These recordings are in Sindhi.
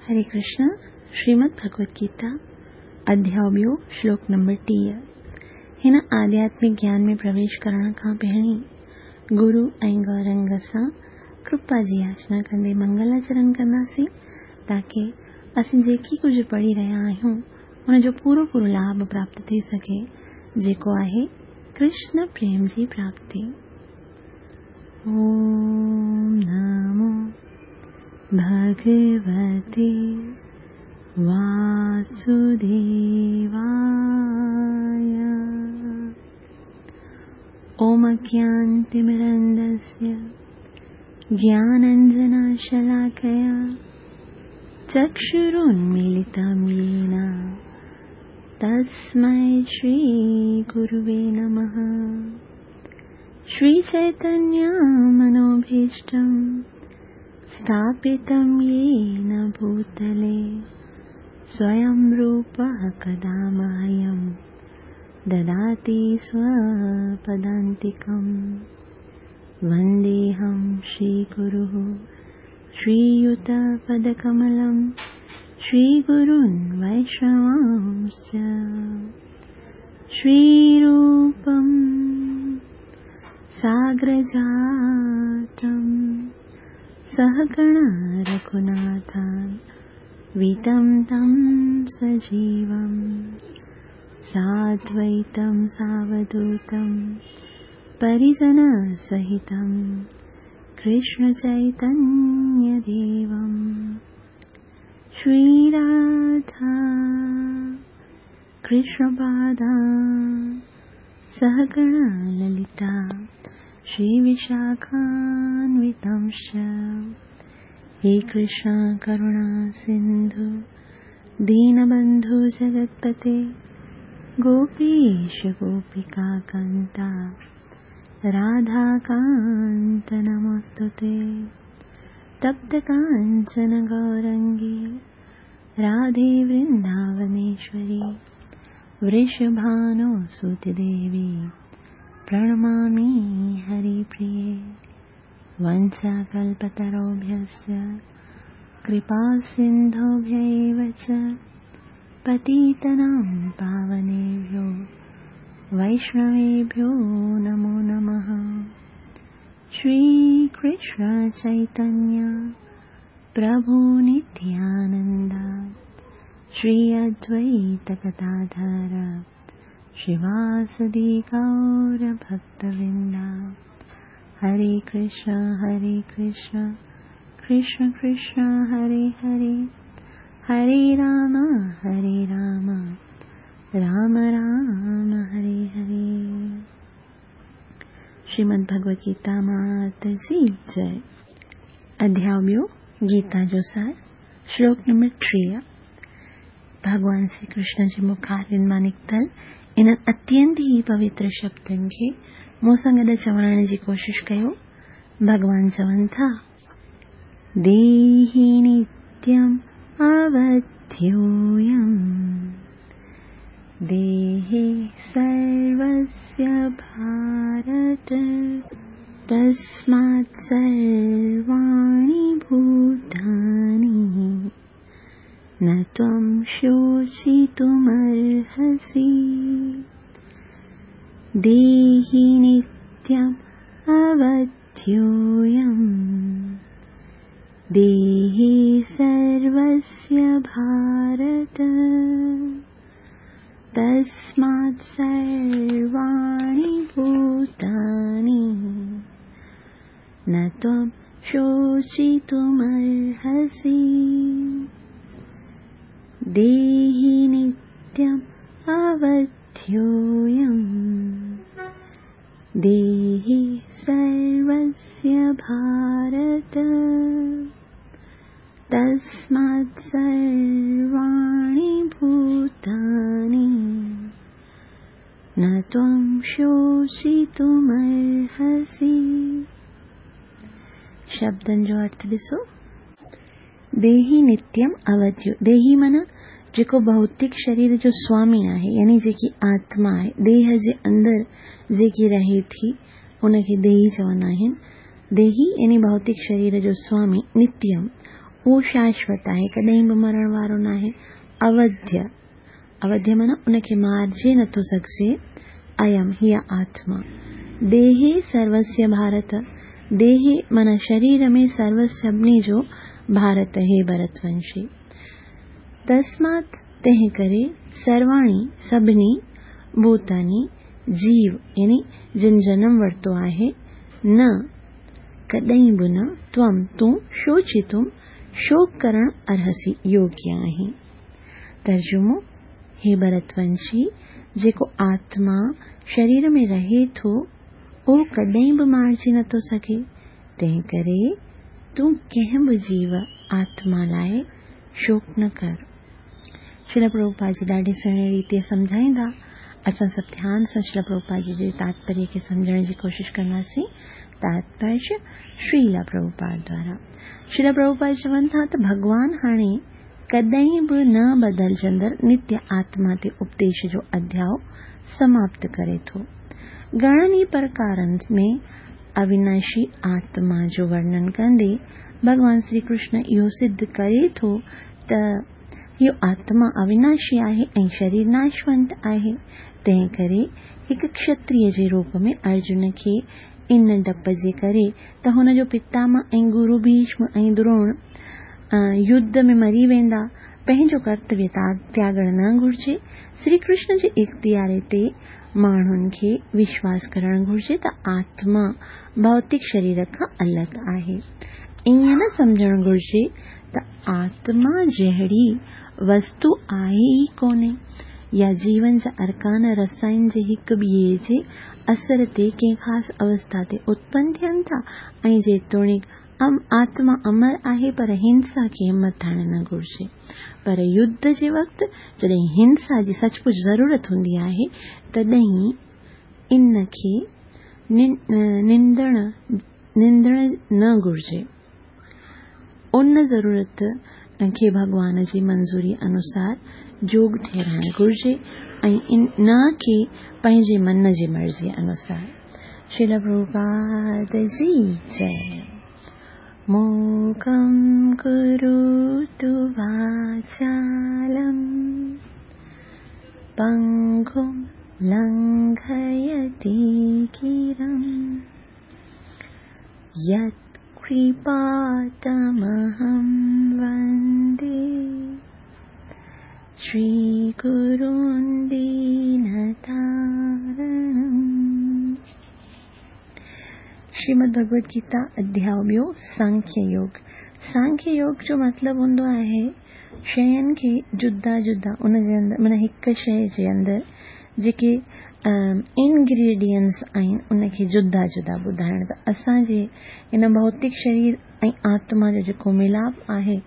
हरे कृष्ण, श्रीमद् भगवत गीता, अध्याय ॿियो, श्लोक नंबर 30। हिन आध्यात्मिक ज्ञान में प्रवेश करण खां पहिरीं गुरू ऐं गौरंग सां कृपा जी याचना कंदे मंगलाचरण कंदासीं, ताकी असीं जेकी कुझु पढ़ी रहिया आहियूं हुनजो पूरो पूरो लाभ प्राप्त थी सघे, जेको आहे कृष्ण प्रेम जी प्राप्ति। ॐ नमो भगवते वासुदेवाय। ॐ अज्ञानतिमिरन्दस्य ज्ञानाञ्जनशलाकया चक्षुरुन्मीलितं येन तस्मै श्रीगुरुवे नमः। श्रीचैतन्यमनोभीष्टं स्थापितं येन भूतले स्वयं रूपः कदा मह्यं ददाति स्वपदान्तिकं। वन्देऽहं श्रीगुरुः श्रीयुतपदकमलं श्रीगुरून् वैष्णवांश्च। श्रीरूपं साग्रजातं सहगण रघुनाथान् वितं तं सजीवं साद्वैतं सावधूतं परिजनसहितं कृष्णचैतन्यदेवं। श्रीराधा कृष्णपादा सहगण ललिता श्रीविशाखान्वितंश्च। हे कृष्ण करुणा सिन्धु दीनबन्धु जगत्पते गोपीश गोपिकान्ता राधाकान्त नमोऽस्तु ते। तप्तकाञ्चन गौरङ्गी राधे वृन्दावनेश्वरी वृषभानुसुते देवी प्रणमामि हरिप्रिये। वञ्चाकल्पतरुभ्यश्च कृपासिन्धुभ्य एव च पतितानां पावनेभ्यो वैष्णवेभ्यो नमो नमः। श्रीकृष्ण चैतन्य प्रभु नित्यानन्द श्री अद्वैत गदाधर श्रीवासदि गौरभक्तवृन्द। हरे कृष्ण हरे कृष्ण कृष्ण कृष्ण हरे हरे, हरे राम हरे राम राम राम हरे हरे। श्रीमद् भगवत गीता मात जी जय। अध्याय ॿियो, गीता जो सार, श्लोक नंबर 30। भॻवान श्री कृष्ण जे मुखारिन मां निकितल इन्हनि अत्यंत ई पवित्र शब्दनि खे मूं सां गॾु चवण जी कोशिशि कयो। भॻवान चवनि था, देहि नित्यम् अवध्योऽयम् देहे सर्वस्य भारत तस्मात् सर्वाणि भूतानि न त्वं शोचितुमर्हसि। देहि नित्यम् अवध्योऽयम् देहे सर्वस्य भारत तस्मात् सर्वाणि भूतानि न त्वं शोचितुमर्हसि। देहि नित्यम् अवध्योऽयम् देहि सर्वस्य भारत तस्मात् सर्वाणि भूतानि न त्वं शोचितुमर्हसि। शब्दनि जो अर्थ ॾिसो, देही नित्यम अवध्यो। देही माना जेको भौतिक शरीर जो स्वामी आहे, यानी जेकी आत्मा आहे, देह जे अंदरि जेकी रहे थी उनखे देही चवंदा आहिनि। देही यानी भौतिक शरीर जो स्वामी, नित्यम اهو شاشوت آهي، ڪڏهن به مرڻ وارو ناهي، اوڌيه، اوڌيه معنيٰ ان کي مارجي نٿو سگهجي، ايم، هيء آتما، ديهي سروسيه ڀارت، ديهي معنيٰ شرير ۾ سروس سڀني جو، ڀارت هي ڀرتونشي. تسمات تنهن ڪري سرواڻي سڀني، ڀوتاني، جيو يعني جن جنم ورتو آهي، نه، ڪڏهن به نه، त्वं، تون، شوچتم، شوڪ ڪرڻ، ارهسي، يوگيه آهين. ترجمو، هي ڀرتونشي، جيڪو آتما شرير ۾ رهي ٿو، اهو ڪڏهن به مارجي نٿو سگهي، تنهن ڪري تون ڪنهن به جيو، آتما، لاء شوڪ نه ڪر. شريلا پرڀوپاد جي ڏاڍي سهڻي ريتيء سمجهائيندا. اسان سڀ ڌيان سان شريلا پرڀوپاد جي جي تاتپريه کي سمجهڻ جي ڪوشش ڪنداسين. تاتپريه شريلا پرڀوپاد دوارا. شريلا پرڀوپاد چون ٿا ته ڀڳوان هاڻي ڪڏهن به نه بدلجندڙ نتيه آتما تي اپديش جو اڌياء سماپت ڪري ٿو. گهڻن ئي پرڪارن ۾ اويناشي آتما جو ورڻن ڪندي ڀڳوان شري ڪرشن اهو سڌ ڪري ٿو ته اهو آتما اويناشي آهي ۽ شرير ناشونت آهي، تنهن ڪري هڪ کشتريه جي روپ ۾ ارجن کي ان ڊپ جي ڪري ته هن جو پتامه ۽ گرو ڀيشم ۽ دروڻ يڌ ۾ مري ويندا، پنهنجو ڪرتويه تياڳڻ نه گهرجي. شري ڪرشن جي اختياري تي ماڻهن کي وشواس ڪرڻ گهرجي ته آتما ڀوتڪ شرير کان الڳ آهي. ائين نه سمجهڻ گهرجي ته آتما جهڙي وستو آهي ئي ڪونهي يا جيون جا ارڪان رسائن جي هڪ ٻئي جي اثر تي ڪنهن خاص اوسٿا تي اتپن ٿين ٿا ۽ جيتوڻيڪ آتما امر آهي پر هنسا کي همٿائڻ نه گهرجي. پر يڌ جي وقت جڏهن هنسا جي سچ پچ ضرورت هوندي آهي تڏهن ان کي نندڻ نه گهرجي. ان ضرورت کي ڀڳوان جي منظوري انوسار جوڳ ٺهرائڻ گهرجي ۽ نه ڪي پنهنجي من جي مرضي انوسار. شريلا پرڀوپاد جي جئي. موڪم ڪروتو واچالم پنگم لنگهيتي گرم يت ڪرپا تمهم وندي شري گرون دينتارڻم. شريمد ڀڳوت گيتا اڌياء ٻيو سانکيه يوگ سانکيه يوگ جو مطلب هوندو آهي شين کي جدا جدا ان جي اندر معنيٰ هڪ شيء جي اندر جيڪي انگريڊينٽس آهن ان کي جدا جدا ٻڌائڻ ته اسان جي هن ڀوتڪ شرير ۽ آتما جو جيڪو ملاپ آهي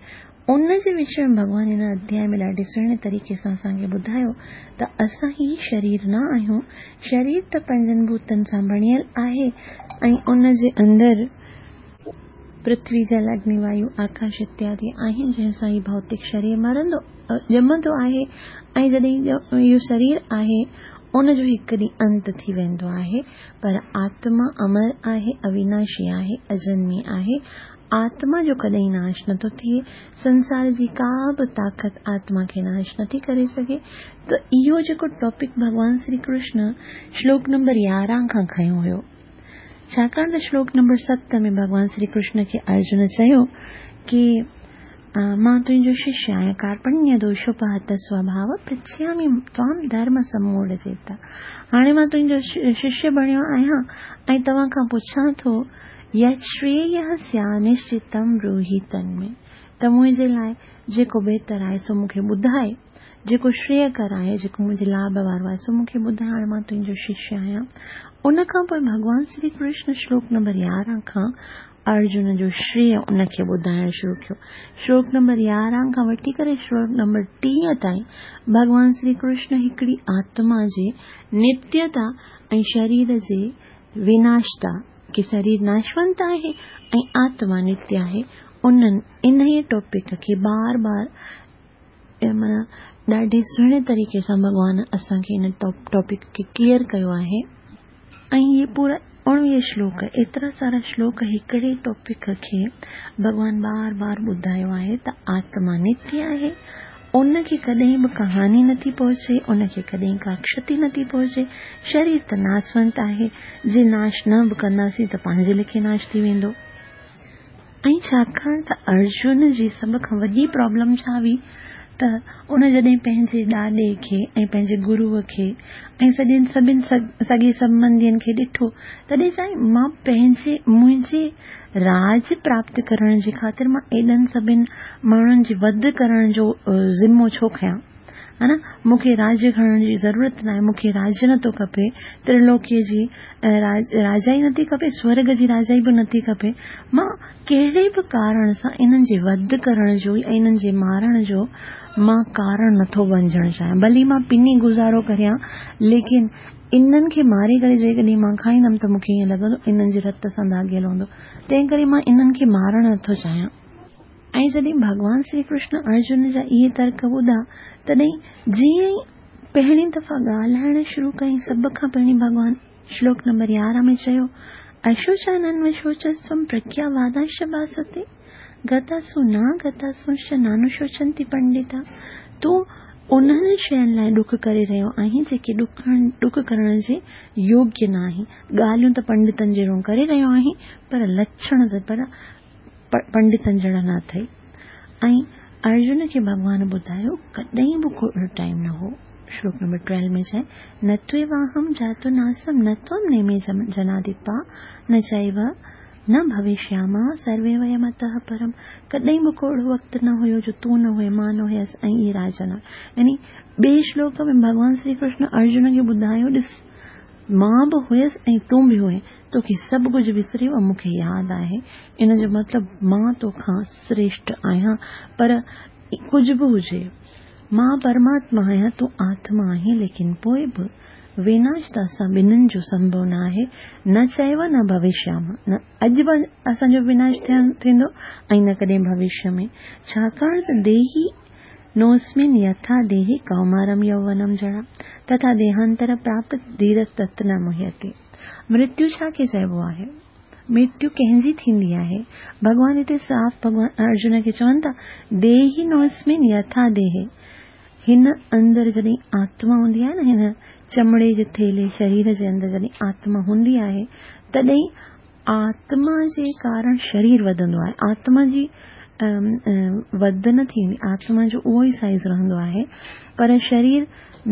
ان جي وچ ۾ ڀڳوان هن اڌياء ۾ ڏاڍي سهڻي طريقي سان اسان کي ٻڌايو ته اسان هي شرير نه آهيون، شرير ته پنجن ڀوتن سان بڻيل آهي ۽ ان جي اندر پرٿوي، جل، اگني، وايو، آڪاش اتيادي آهن، جنهن سان هي ڀوتڪ شرير مرندو ڄمندو آهي ۽ جڏهن اهو شرير آهي ان جو هڪ ڏينهن انت ٿي ويندو آهي، پر آتما امر آهي، اويناشي آهي، اجنمي آهي، آتما جو ڪڏهن ناش نٿو ٿئي، سنسار جي ڪا به طاقت آتما کي ناش نٿي ڪري سگهي ته اهو جيڪو ٽاپڪ ڀڳوان شري ڪرشن شلوڪ نمبر 11 کان کنيو هيو. ڇاڪاڻ ته شلوڪ نمبر 7 ۾ ڀڳوان شري ڪرشن کي ارجن چيو ڪي مان تنهنجو ششيه آهيان ڪارپڻيه دوشوپهت سوڀاو پرڇيامي توام ڌرم سموڙ چيتا هاڻي مان تنهنجو ششيه بڻيو آهيان ۽ توهان کان پڇان ٿو يت شرييه سيانشچتم بروهي تنمي ته منهنجي لاء جيڪو بهتر آهي سو مون کي ٻڌاء، جيڪو شرييه ڪر آهي، جيڪو منهنجي لاڀ وارو آهي، سو مون کي ٻڌاء، هاڻي مان تنهنجو ششيه آهيان. ان کان پوء ڀڳوان شري ڪرشن شلوڪ نمبر 11 کان ارجن جو شرييه ان کي ٻڌائڻ شروع ڪيو. شلوڪ نمبر 11 کان وٺي ڪري شلوڪ نمبر 30 تائين ڀڳوان شري ڪرشن هڪڙي آتما جي نتيتا ۽ شرير جي وناشتا، ڪي شرير ناشونت آهي ۽ آتما نتيه آهي، انهن انهيء ٽاپڪ کي بار بار معنيٰ ڏاڍي سهڻي طريقي سان ڀڳوان اسان کي ان ٽاپڪ کي ڪليئر ڪيو آهي ۽ هي پورا اڻويهه شلوڪ، ايترا سارا شلوڪ هڪڙي ٽاپڪ کي ڀڳوان بار بار ٻڌايو آهي ته آتما نتيه آهي، ان کي ڪڏهن به ڪا هاني نٿي پهچي، ان کي ڪڏهن ڪا ڪشتي نٿي پهچي، شرير ته ناسونت آهي، جي ناش نه به ڪنداسين ته پنهنجي ليکي ناش ٿي ويندو. ۽ ڇاڪاڻ ته ارجن جي سڀ کان وڏي پرابلم ڇا هئي ته ان جڏهن پنهنجي ڏاڏي کي ۽ پنهنجي گروء کي ۽ سڄن سڀن سڳي سنٻنڌين کي ڏٺو تڏهن چيائين مان پنهنجي منهنجي راڄ پراپت ڪرڻ جي خاطر مان ايڏن سڀن ماڻهن جي وڌ ڪرڻ جو ذمو ڇو کنيان ها نه مون کي راڄ کڻڻ جي ضرورت ناهي، مون کي راڄ نٿو کپي، ترلوڪيء جي راجائي نٿي کپي، سورڳ جي راجائي به نٿي کپي، مان ڪهڙي به ڪارڻ سان انهن جي وڌ ڪرڻ جو يا انهن جي مارڻ جو مان ڪارڻ نٿو بنجڻ چاهيان، ڀلي مان پني گذارو ڪريان، ليڪن انهن کي ماري ڪري جيڪڏهن مان کائيندم ته مون کي ائين لڳندو انهن جي رت سان داغيل هوندو، تنهن ڪري مان انهن کي مارڻ نٿو چاهيان. ۽ جڏهن ڀڳوان شري ڪرشن ارجن جا اهي ترڪ ٻڌا، تڏهن جيئن ئي پهرين دفعا ڳالهائڻ شروع ڪيائين، سڀ کان پهرين ڀڳوان شلوڪ نمبر 11 ۾ چيو، اشوچانانوشوچستوم پرگيا وادانش ڀاستي، گتاسو ناگتاسونش نانوشوچنتي پنڊتا. تون انهن شين لاء ڏک ڪري رهيو آهين، جيڪي ڏک ڪرڻ جي يوگيه نه آهن. ڳالهيون ته پنڊتن جهڙيون ڪري رهيو آهين، پر لڇڻ ته پر پنڊتن جهڙا نه اٿئي. ۽ ارجن کي ڀڳوان ٻڌايو ڪڏهن به ڪو اهڙو ٽائيم نه هو. شلوڪ نمبر ٽويلو ۾ چئي، نه تويواهم جاتو ناسم نه توم نيمي جناديپا نه چيو نه ڀوشياما سروي ويم اتهه پرم. ڪڏهن به ڪو اهڙو وقت نه هيو جو تون نه هئين مان نه هيس ۽ اهي راجا نه هيا. يعني ٻئي شلوڪ ۾ ڀڳوان شري ڪرشن ارجن کي ٻڌايو ڏس مان به هيس ۽ تون به هئين، توکي سڀ ڪجهه وسري ويو، مون کي ياد آهي. ان جو مطلب مان توکان سريشٽ آهيان، پر ڪجهه به هجي، مان پرماتما آهيان، تون آتما آهين، ليڪن پوء به ويناش ته اسان ٻنهين جو سنڀو نه آهي، نه چيو نه ڀوشيام، نه اڄ به اسان جو وناش ٿيندو ۽ نه ڪڏهن ڀوشيه ۾، ڇاڪاڻ ته ديهي نوسمن يٿا ديهي ڪومارم يوونم جڙا تٿا ديهانتر پراپت ڌيرس تت نه مهيتي. مرتيو ڇا کي چئبو آهي؟ مرتيو ڪنهن جي ٿيندي آهي؟ ڀڳوان هتي صاف ڀڳوان ارجن کي چون ٿا، ديهي نوسمن يٿا ديهي. هن اندر جڏهن آتما هوندي آهي نه هن چمڙي جي ٿيلهي شرير جي اندر جڏهن آتما هوندي آهي تڏهن آتما جي ڪارڻ شرير وڌندو آهي. آتما جي وڌ نه ٿيندي، آتما جو اهو ئي سائيز رهندو آهي، پر شرير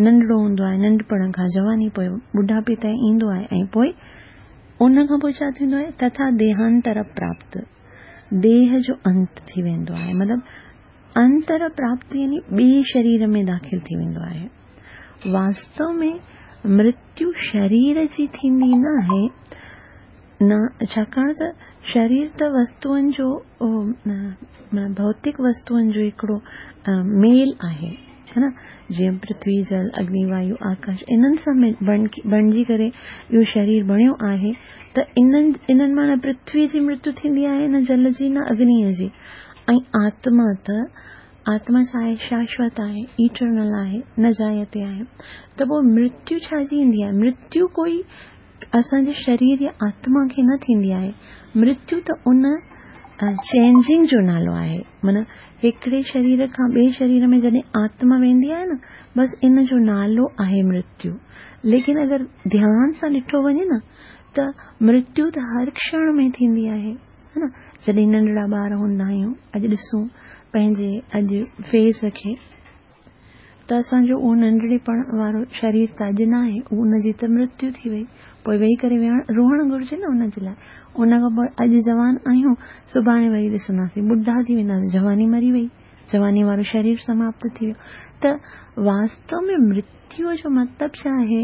ننڍڙو هوندو آهي، ننڍپڻ کان جواني پوء ٻڍاپي تائين ايندو آهي ۽ پوء ان کان پوء ڇا ٿيندو آهي؟ تٿا ديهانتر پراپت، ديهه جو انت ٿي ويندو آهي، مطلب انتر پراپت يعني ٻئي شرير ۾ داخل ٿي ويندو آهي. واستو ۾ مرتيو شرير جي ٿيندي ناهي، نه ڇاڪاڻ ته شرير ته وستوئن جو ڀوتڪ وستوئن جو هڪڙو ميل آهي ها نه جيئن پرٿوي جل اگني وايو آڪاش انهن سان بڻجي ڪري اهو شرير بڻيو آهي ته انهن انهن مان نه پرٿوي جي مرتيو ٿيندي آهي نه جل جي نه اگنيء جي ۽ آتما ته آتما ڇا آهي؟ شاشوت آهي، ايٽرنل آهي، نه جائتي آهي. ته پوء مرتيو ڇا جي ايندي آهي؟ مرتيو ڪوئي اسان جي شرير يا آتما کي نه ٿيندي آهي. مرتيو ته ان چينجنگ جو نالو آهي. معنيٰ هڪڙي شرير کان ٻئي شرير ۾ جڏهن آتما ويندي آهي نه بس ان جو نالو آهي مرتيو. ليڪن اگر ڌيان سان ڏٺو وڃي نه ته مرتيو ته هر ڪشڻ ۾ ٿيندي آهي. ها نه جڏهن ننڍڙا ٻار هوندا آهيون اڄ ڏسون پنهنجي اڄ فيس کي ته اسان جو اهو ننڍڙي پڻ وارو شرير ته اڄ ناهي ان جي ته مرتيو ٿي وئي پوء ويهي ڪري ويهڻ روئڻ گهرجي نه ان جي لاء ان کان پوء اڄ جوان آهيون سڀاڻي وري ڏسنداسين ٻڍا ٿي وينداسين جواني مري وئي جواني وارو شرير سماپت ٿي ويو ته واستو ۾ مرتيو جو مطلب ڇا آهي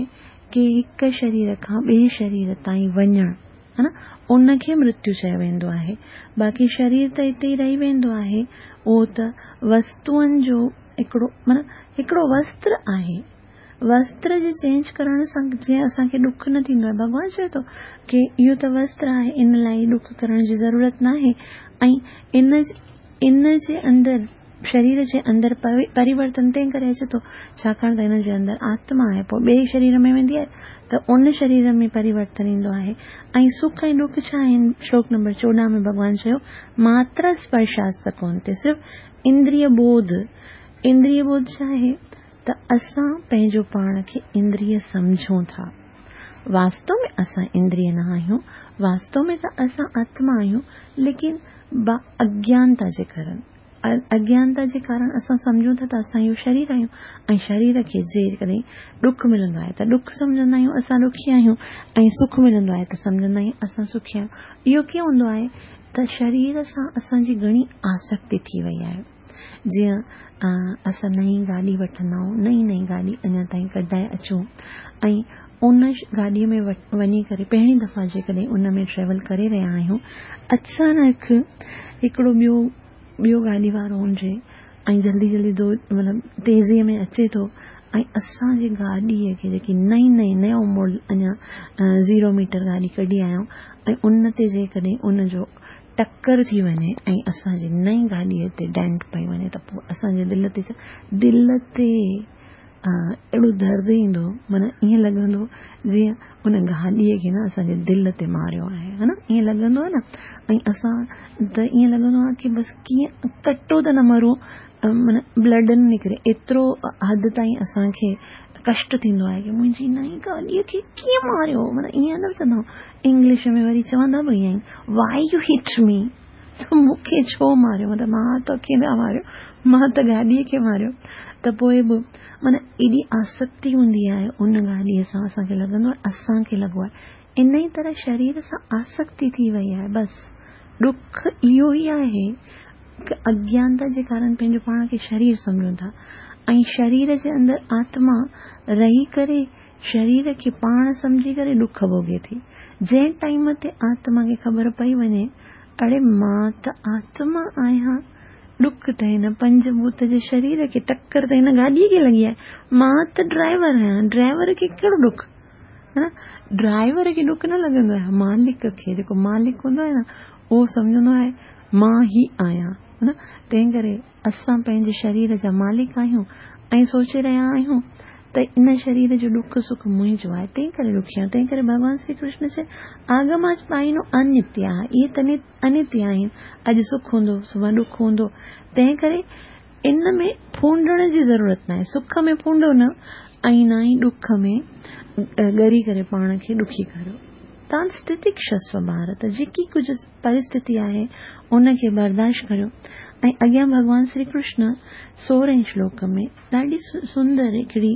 ڪي هڪ شرير کان ٻئي شرير تائين وڃڻ ها نه ان کي مرتيو چيو ويندو آهي. باقي شرير ته اتي ئي رهي ويندو آهي. اهو ته وستوئن جو هڪڙو معنيٰ هڪڙو وستر آهي. وستر جي چينج ڪرڻ سان جيئن اسان کي ڏک نه ٿيندو آهي. ڀڳوان چئي ٿو ڪي اهو ته وستر آهي ان لاء ڏک ڪرڻ جي ضرورت ناهي ۽ ان ان جي اندر शरीर जे अंदरि परिवर्तन तंहिं करे अचे थो, छाकाणि त हिन जे अंदरि आत्मा आहे, पोइ ॿिए शरीर में वेंदी आहे त उन शरीर में परिवर्तन ईंदो आहे। ऐं सुख ऐं ॾुख छा आहिनि? श्लोक नंबर 14 में भॻवान चयो, मात्र स्पर्शास्त कोन्हे, सिर्फ़ु इंद्रिय बोध। इंद्रिय बोध छा आहे? त असां पंहिंजो पाण खे इंद्रिय सम्झूं था। वास्तव में असां इंद्रिय न आहियूं, वास्तव में त असां आत्मा आहियूं, लेकिन अज्ञानता जे कारण, अज्ञानता जे कारण असां सम्झूं था त असां इहो शरीर आहियूं ऐं शरीर खे जेकॾहिं ॾुख मिलंदो आहे त ॾुख सम्झंदा आहियूं, असां ॾुखी आहियूं, ऐं सुख मिलंदो आहे त सम्झंदा आहियूं असां सुखी आहियूं। इहो कीअं हूंदो आहे त शरीर सां असांजी घणी आसक्ति थी वई आहे। जीअं असां नई गाॾी वठंदा आहियूं, नई नई गाॾी अञा ताईं कढाए अचूं ऐं उन गाॾीअ में वञी करे पहिरीं दफ़ा जेकॾहिं उन में ट्रेवल करे रहिया आहियूं, अचानक हिकिड़ो ॿियो गाॾी वारो हुजे ऐं जल्दी जल्दी दो मतिलबु तेज़ीअ में अचे थो ऐं असांजी गाॾीअ खे जेकी नई नई नयो मॉडल अञा 0 मीटर गाॾी कढी आया आहियूं ऐं उन ते जेकॾहिं उनजो टक्कर थी वञे ऐं असांजी नई गाॾीअ ते डेंट पई वञे त पोइ असांजे दिलि ते अहिड़ो दर्द ईंदो, माना ईअं लॻंदो जीअं उन गाॾीअ खे न असांजे दिलि ते मारियो आहे, हा न, ईअं लॻंदो आहे न। ऐं असां त ईअं लॻंदो आहे की बसि कीअं कटो त न मरूं, माना ब्लड न निकिरे, एतिरो हद ताईं असांखे कष्ट थींदो आहे की मुंहिंजी नई गाॾीअ खे कीअं मारियो, माना ईअं न चवंदा आहियूं, इंग्लिश में वरी चवंदा बि ईअं आहिनि, वाई you hit मी, त मूंखे छो मारियो, मतिलबु मां तोखे न मारियो, मां त गाॾीअ खे मारियो। त पोइ बि माना एॾी आसक्ति हूंदी आहे उन गाॾीअ सां, असांखे लॻंदो आहे असांखे लॻो आहे। इन ई तरह शरीर सां आसक्ति थी वई आहे। बसि ॾुख इहो ई आहे की अज्ञानता जे कारण पंहिंजो पाण खे शरीर सम्झूं था ऐं शरीर जे अंदरि आत्मा रही करे शरीर खे पाण सम्झी करे ॾुख भोगे थी। जंहिं टाइम ते आत्मा खे ख़बर पई वञे, अड़े मां त आत्मा आहियां, ॾुख त हिन पंचभूत जे शरीर खे, टक्कर त हिन गाॾीअ खे लॻी आहे, मां त ड्राइवर आहियां, ड्राइवर खे कहिड़ो ॾुख, हा न, ड्राइवर खे ॾुख न लॻंदो आहे, मालिक खे, जेको मालिक हूंदो आहे न उहो सम्झंदो आहे मां ई आहियां, हा न। तंहिं करे असां पंहिंजे शरीर जा मालिक आहियूं ऐं सोचे रहिया आहियूं त इन शरीर जो ॾुख सुख मुंहिंजो आहे, तंहिं करे ॾुखी आहियूं। तंहिं करे भॻवान श्री कृष्ण चए, आगमाच पाइनो अनित्य आहे, इहे त अनित्य आहिनि, अॼु सुख हूंदो सुभाणे ॾुख हूंदो, तंहिं करे इन में फूंडण जी ज़रूरत न आहे, सुख में फूंडो न ऐं न ई ॾुख में ॻरी करे पाण खे ॾुखी करियो। तां स्थितिक्षस्व भारत, जेकी कुझु परिस्थिति आहे उनखे बर्दाश्त करियो। ऐं अॻियां भॻवान श्री कृष्ण 16 श्लोक में ॾाढी सुंदर हिकिड़ी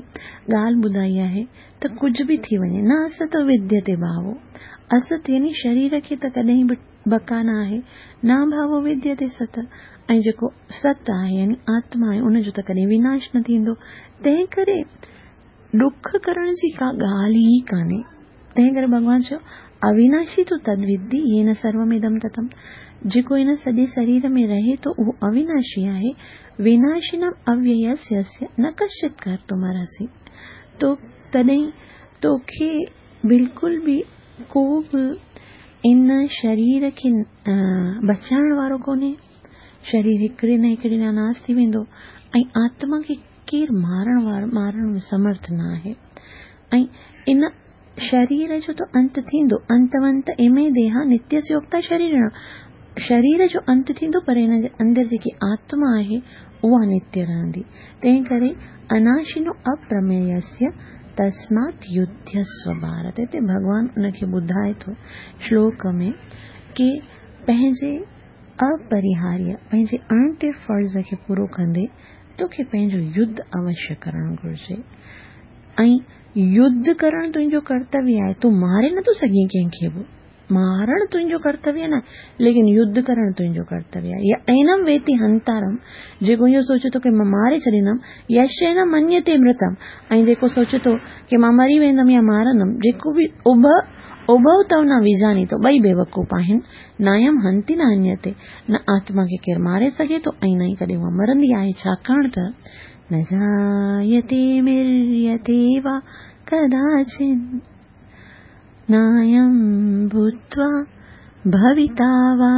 ॻाल्हि ॿुधाई आहे त कुझु बि थी वञे, न असत विद्यते भावो, असत यानी शरीर खे त कॾहिं बि बका न आहे, न भावो विद्यते सत, ऐं जेको सत आहे यानी आत्मा आहे उनजो त कॾहिं विनाश न थींदो। तंहिं करे ॾुख करण जी का ॻाल्हि ई कान्हे। तंहिं करे भॻवान चयो, अविनाशी तूं तद्विद्धि येन सर्वमिदं ततम, जेको हिन सॼे शरीर में रहे थो उहो अविनाशी आहे, विनाशिनम अव्ययस्य न कश्चित् कर्तुमर्हसि। तो तॾहिं तोखे बिल्कुलु बि को बि इन शरीर खे बचाइण वारो कोन्हे, शरीर हिकिड़े न हिकिड़े ॾींहुं नाश थी वेंदो ऐं आत्मा खे केरु मारण में समर्थ न आहे। ऐं इन शरीर जो त अंत थींदो, अंतवंत इमे देहा नित्यस्योक्ता शरीर, शरीर जो अंत थींदो पर हिन जे अंदरि जेकी आत्मा आहे उहा नित्य रहंदी। तंहिं करे अनाशिनो अप्रमेयस्य तस्मात् युध्यस्व भारत। हिते भॻवान उनखे ॿुधाए थो श्लोक में की पंहिंजे अपरिहार्य, पंहिंजे अणटे फ़र्ज़ खे पूरो कंदे तोखे पंहिंजो युद्ध अवश्य करणु घुरिजे ऐं युद्ध करणु तुंहिंजो कर्तव्य आहे। तूं मारे नथो सघीं कंहिंखे बि, मारण तुंहिंजो कर्तव्य न, लेकिन युद्ध करणु तुंहिंजो कर्तव्य आहे। या ऐनम वेति हंतारम, जेको इहो सोचे थो की मां मारे छॾींदमि, यशेन मन्यते मृतम, ऐं जेको सोचे थो की मां मरी वेंदमि या मारंदमि, जेको बि उभव तव न विजानी थो, ॿई बेवकूफ़ आहिनि। नायम हंति न हन्यते, न आत्मा खे केरु मारे सघे थो ऐं न ई कॾहिं उहा मरंदी आहे, छाकाणि त न जायते म्रियते वा कदाचित् नायं भूत्वा भविता वा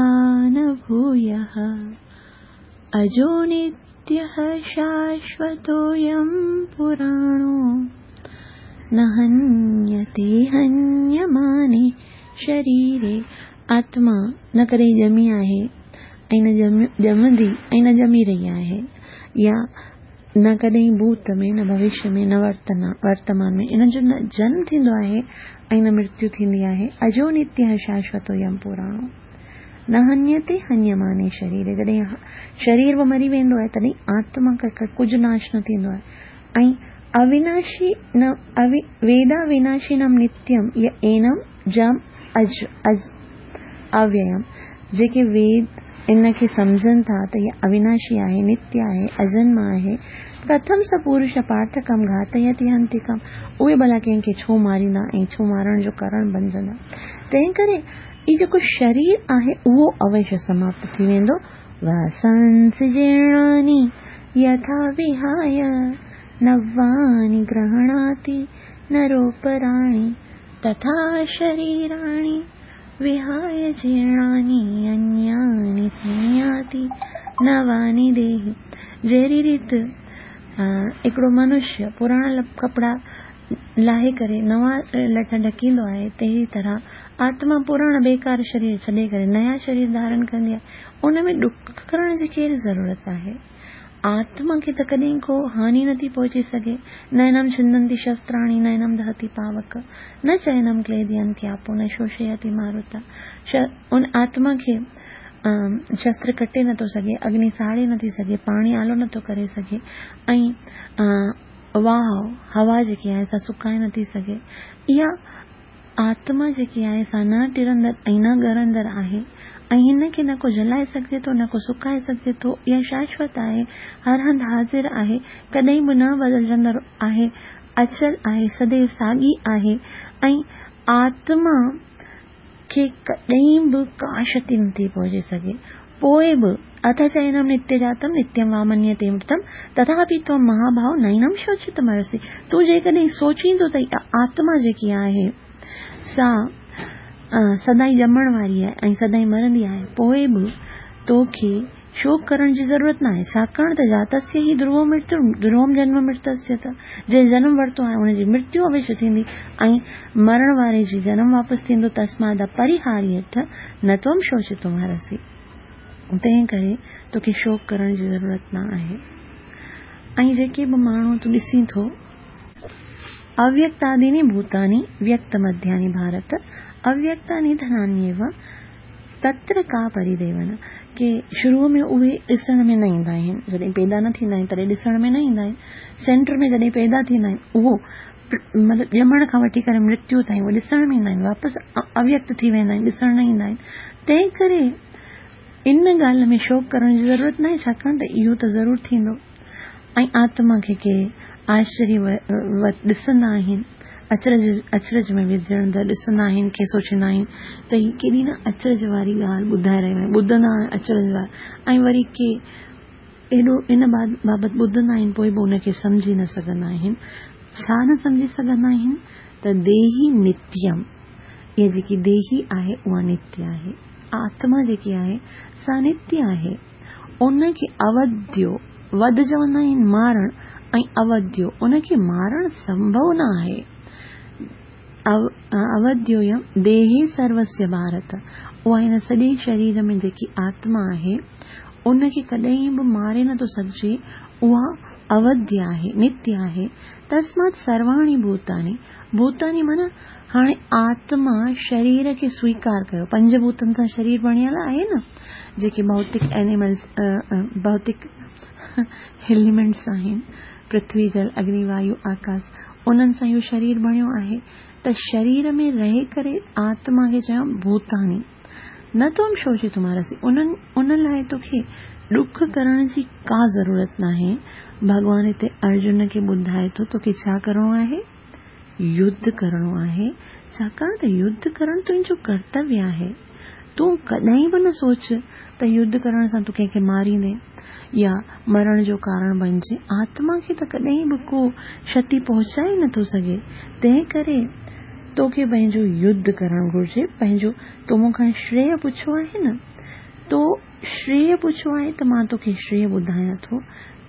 न भूयः अजो नित्य नित्यः शाश्वतोऽयं पुराणो न हन्यते हन्यमाने शरीरे। आत्मा न कॾहिं ॼमी आहे ऐं न ॼमंदी ऐं न ॼमी रही आहे, या न कॾहिं भूत में, न भविष्य में, न वर्तमान में इन जो न जन्म थींदो आहे ऐं न मृत्यु थींदी आहे। अजो नित्यः शाश्वतोऽयं पुराणो न हन्यते हन्यमाने शरीरे। जॾहिं शरीर बि मरी वेंदो आहे तॾहिं आत्मा खां कुझु नाश न थींदो आहे। ऐं अविनाशी न वेदा विनाशिनम नित्यम य एनम जम अज अज अव्ययम। जेके वेद इन खे सम्झनि था त इहा अविनाशी आहे, नित्य आहे, अजन्म आहे। कथम स पुरुष पाठकम घातयति हंतिकम। उहे भला कंहिंखे छो मारींदा ऐं छो मारण जो कारण बणिजंदा। तंहिं करे इहो जेको शरीर आहे उहो अवश्य समाप्त थी वेंदो। वासांसि जीर्णानि यथा विहाय नवानि गृह्णाति नरोपराणि तथा शरीराणि विहाय जीर्णानि अन्यानि संयाति नवानि देहि। जहिड़ी रीति हिकिड़ो मनुष्य पुराणा कपिड़ा लाहे करे नवां लठ ढकींदो आहे, तहिड़ी तरह आत्मा पुराणा बेकार शरीर छॾे करे नया शरीर धारण कंदी आहे। उन में ॾुख करण जी कहिड़ी ज़रूरत आहे? आत्मा खे त कॾहिं को हानि नथी पहुची सघे। नैनम छिंदंती शस्त्राणि नैनम दहति पावक न चैनम क्लेदयंती आपो न शोषयति मारुता। उन आत्मा खे शस्त्र कटे नथो सघे, अग्नि साड़े नथी सघे, पाणी आलो नथो करे सघे ऐं वाह हवा जेकी आहे सा सुकाए नथी सघे। इहा आत्मा जेकी आहे सा न टिरंदड़ ऐं न ॻरंदड़ आहे ऐं हिन खे न को जलाए सघिजे थो न को सुकाए सघिजे थो। इहा शाश्वत आहे, हर हंधि हाज़िर आहे, कॾहिं बि न बदिलजंदड़ आहे, अचल आहे, सदैव साॻी आहे ऐं आत्मा खे कॾहिं बि का क्षति नथी पहुची सघे। पोइ बि अथ चैनम नित्य जातम नित्यम वा मन्यते मृतम तथापि त्वं महाभाव नैनम शोचितुमर्हसि। तूं जेकॾहिं सोचींदो त आत्मा जेकी आहे सा सदाई ॼमण वारी आहे ऐं सदाई मरंदी आहे, पोइ बि तोखे शोक करण जी ज़रूरत न आहे, छाकाणि त जातस्य ही ध्रुवो मृत्यु ध्रुवम जन्म मृतस्य त जंहिं जनम वरितो आहे हुनजी मृत्यु अवश्य थींदी ऐं मरण वारे जी जनम वापसि थींदो। तस्माद परिहार्यर्थ न त्वं शोचितुमर्हसि। तंहिं करे तोखे शोक करण जी ज़रूरत न आहे। ऐं जेके बि माण्हू तूं ॾिसीं थो, अव्यक्तादीनि भूतानि व्यक्तमध्यानि भारत अव्यक्तानि धनान्येव तत्र का परिदेवन। के शुरू में उहे ॾिसण में न ईंदा आहिनि, जॾहिं पैदा न थींदा आहिनि तॾहिं ॾिसण में न ईंदा आहिनि। सेंटर में जॾहिं पैदा थींदा आहिनि उहो मतिलबु ॼमण खां वठी करे मृत्यु ताईं उहे ॾिसण में ईंदा आहिनि, वापसि अव्यक्त थी वेंदा आहिनि, ॾिसण न ईंदा आहिनि। तंहिं करे इन ॻाल्हि में शोक करण जी ज़रूरत न आहे, छाकाणि त इहो त ज़रूरु थींदो। ऐं आत्मा खे के आश्चर्य ॾिसंदा आहिनि, अचरज में विझंदड़ ॾिसंदा आहिनि, के सोचींदा आहिनि त हीअ केॾी न अचरज वारी ॻाल्हि ॿुधाए रहियो आहे, ॿुधंदा अचरज वारा ऐं वरी के एॾो इन बाबति ॿुधंदा आहिनि पोइ बि उनखे सम्झी न सघंदा आहिनि। छा न सम्झी सघंदा आहिनि त देही नित्यम, इहा जेकी देही आहे उहा नित्य आहे, आत्मा जेकी आहे सा नित्य आहे। उनखे अवध्यो वध चवंदा आहिनि मारण ऐं अवध्यो उनखे मारण संभव न आहे। अवध्योयम देहे सर्वस्य भारत, उहा हिन सॼे शरीर में जेकी आत्मा आहे उनखे कॾहिं बि मारे नथो सघिजे, उहा अवध्य आहे, नित्य आहे। तस्मात् सर्वाणि भूतानि, भूतानि माना हाणे आत्मा शरीर खे स्वीकार कयो, पंजभूतनि सां शरीर बणियल आहे न, जेके भौतिक एनिमल्स भौतिक एलिमेंट्स आहिनि, पृथ्वी जल अग्नि वायु आकाश, उन्हनि सां इहो शरीर बणियो आहे। त शरीर में रहे करे आत्मा खे चयो भूतानि न त्वं शोचितुमर्हसि, उन लाइ तोखे ॾुख करण जी का ज़रूरत नाहे। भॻवान हिते अर्जुन खे ॿुधाए थो तोखे छा करिणो आहे, युद्ध करिणो आहे, छाकाणि त युद्ध करणु तुंहिंजो कर्तव्य आहे। तूं कॾहिं बि न सोच त युद्ध करण सां तूं कंहिंखे मारींदे या मरण जो कारण बणिजे। आत्मा खे त कॾहिं बि को क्षति पहुचाए नथो सघे, तंहिं करे तोखे पंहिंजो युद्ध करणु घुरिजे। पंहिंजो तो मूंखां श्रेय पुछियो आहे न, तो श्रेय पुछियो आहे त मां तोखे श्रेय ॿुधायां थो।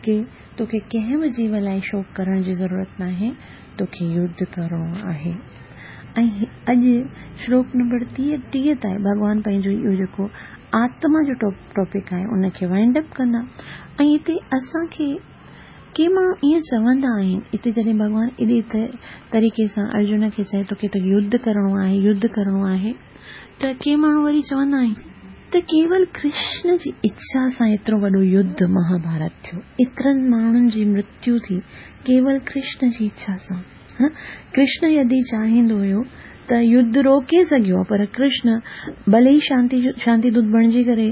ڪي توکي ڪنهن به جيو لاء شوڪ ڪرڻ جي ضرورت ناهي، توکي يڌ ڪرڻو آهي. ۽ اڄ شلوڪ نمبر 30 تائين ڀڳوان پنهنجو اهو جيڪو آتما جو ٽاپڪ آهي ان کي وائنڊ اپ ڪندا. ۽ هتي اسان کي ڪي ماڻهو ائين چوندا آهن، هتي جڏهن ڀڳوان ايڏي طريقي سان ارجن کي چئي ٿو ڪي توکي يڌ ڪرڻو آهي، يڌ ڪرڻو آهي، ته ڪي ماڻهو وري چوندا آهن ته ڪيول ڪرشن جي اڇا سان ايترو وڏو يڌ مهاڀارت ٿيو، ايترن ماڻهن جي مرتيو ٿي ڪيول ڪرشن جي اڇا سان. ڪرشن يدي چاهيندو هيو ته يڌ روڪي سگهيو پر ڪرشن ڀلي ئي شانتي شانتي دوت بڻجي ڪري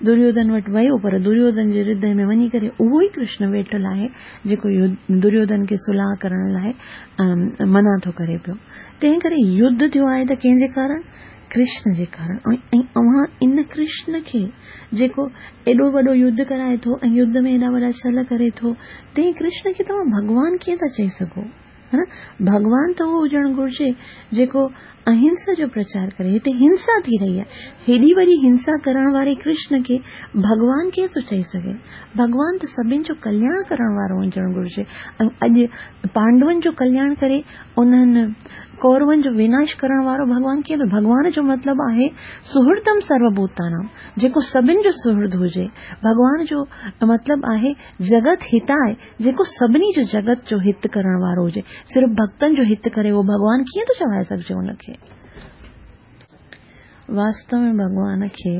دريوڌن وٽ ويو پر دريوڌن جي هردي ۾ وڃي ڪري اهو ئي ڪرشن ويٺل آهي جيڪو دريوڌن کي صلح ڪرڻ لاء منع ٿو ڪري پيو. تنهن ڪري يڌ ٿيو آهي ته ڪنهن جي ڪارڻ؟ ڪرشن جي ڪارڻ. ۽ اوهان ان ڪرشن کي جيڪو ايڏو وڏو يڌ ڪرائي ٿو ۽ يڌ ۾ ايڏا وڏا ڇل ڪري ٿو، تنهن ڪرشن کي توهان ڀڳوان ڪيئن ٿا چئي سگهو؟ ها نه؟ ڀڳوان ته اهو هجڻ گهرجي جيڪو اهنسا جو پرچار ڪري. هتي هنسا ٿي رهي آهي. هيڏي وڏي هنسا ڪرڻ واري ڪرشن کي ڀڳوان ڪيئن ٿو چئي سگهي؟ ڀڳوان ته سڀن جو ڪلياڻ ڪرڻ وارو هجڻ گهرجي ۽ اڄ پانڊون جو ڪلياڻ ڪري انهن ڪورون جو وناش ڪرڻ وارو ڀڳوان ڪيئن ٿو؟ ڀڳوان جو مطلب آهي سهردم سروڀوتانام، جيڪو سڀن جو سهرد هجي. ڀڳوان جو مطلب آهي جڳت هتاء، جيڪو سڀني جو جڳت جو هت ڪرڻ وارو هجي. صرف ڀڳتن جو هت ڪري اهو ڀڳوان ڪيئن ٿو چوائي سگهجي ان کي؟ واستو ۾ ڀڳوان کي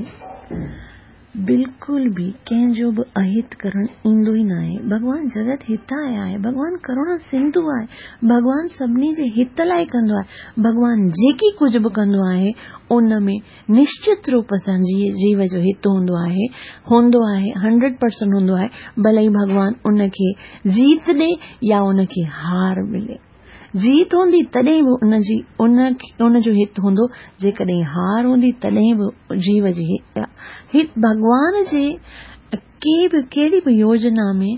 بلڪل به ڪنهن جو به اهت ڪرڻ ايندو ئي ناهي. ڀڳوان جڳت هتاء آهي، ڀڳوان ڪروڻا سنڌو آهي، ڀڳوان سڀني جي هت لاء ڪندو آهي. ڀڳوان جيڪي ڪجهه به ڪندو آهي، ان ۾ نشچت روپ سان جيو جو هت هوندو آهي، هوندو آهي، هنڊريڊ پرسنٽ هوندو آهي، ڀلي ڀڳوان ان کي جيت ڏي يا ان کي هار ملي. جيت هوندي تڏهن به ان جي ان ان جو هت هوندو، جيڪڏهن هار هوندي تڏهن به جيو جي هت ڀڳوان جي ڪي به ڪهڙي به يوجنا ۾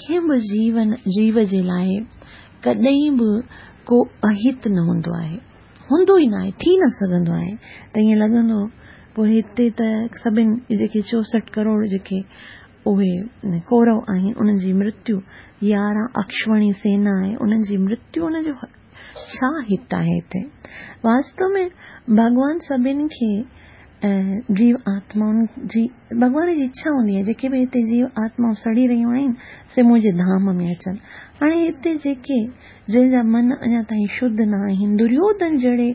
ڪنهن به جيون جيو جي لاء ڪڏهن به ڪو اهت نه هوندو آهي، هوندو ئي ناهي، ٿي نه سگهندو آهي ته ائين لڳندو پوء هتي ته سڀن جيڪي 64 ڪروڙ جيڪي اهي ڪورو آهن انهن جي مرتيو، 11 اڪشوڻي سينا آهي انهن جي مرتيو ان جو ڇا هت آهي هتي؟ واستو ۾ ڀڳوان سڀن کي جيو آتمائن جي ڀڳوان جي اڇا هوندي آهي جيڪي به هتي جيو آتمائون سڙي رهيون آهن سي منهنجي ڌام ۾ اچن. هاڻي هتي جيڪي جنهن جا من اڃا تائين شڌ نه آهن دريوڌن جهڙي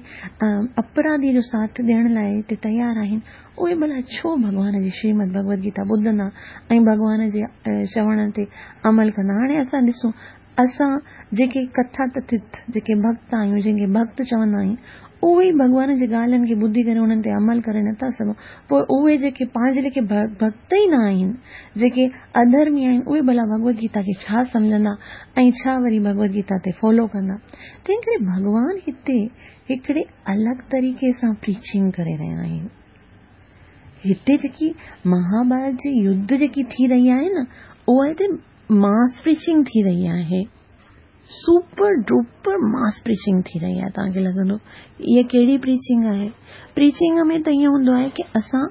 اپراڌي جو ساٿ ڏيڻ لاء هتي تيار آهن اهي ڀلا ڇو ڀڳوان جي شريمد ڀڳوت گيتا ٻڌندا ۽ ڀڳوان جي چوڻ تي عمل ڪندا. هاڻي اسان ڏسون، اسان جيڪي ڪٿا ڪٿت جيڪي ڀڳت آهيون، جنهن کي ڀڳت چوندا آهيون، اهي ئي ڀڳوان جي ڳالهين کي ٻڌي ڪري انهن تي عمل ڪري نٿا سگهون، پوء اهي جيڪي پنهنجي ليکي ڀڳت ئي نه آهن، جيڪي اڌرمي آهن، اهي ڀلا ڀڳوت گيتا کي ڇا سمجهندا ۽ ڇا وري ڀڳوت گيتا تي فالو ڪندا. تنهن ڪري ڀڳوان هتي هڪڙي الڳ طريقي سان پريچنگ ڪري رهيا آهن. هتي جيڪي مهاڀارت جي يڌ جيڪي ٿي رهي آهي نه اها هتي ماس پريچنگ ٿي رهي آهي. سپر ڊوپر ماس پريچنگ ٿي رهي آهي. توهان کي لڳندو اها ڪهڙي پريچنگ آهي؟ پريچنگ ۾ ته ائين هوندو آهي ڪي اسان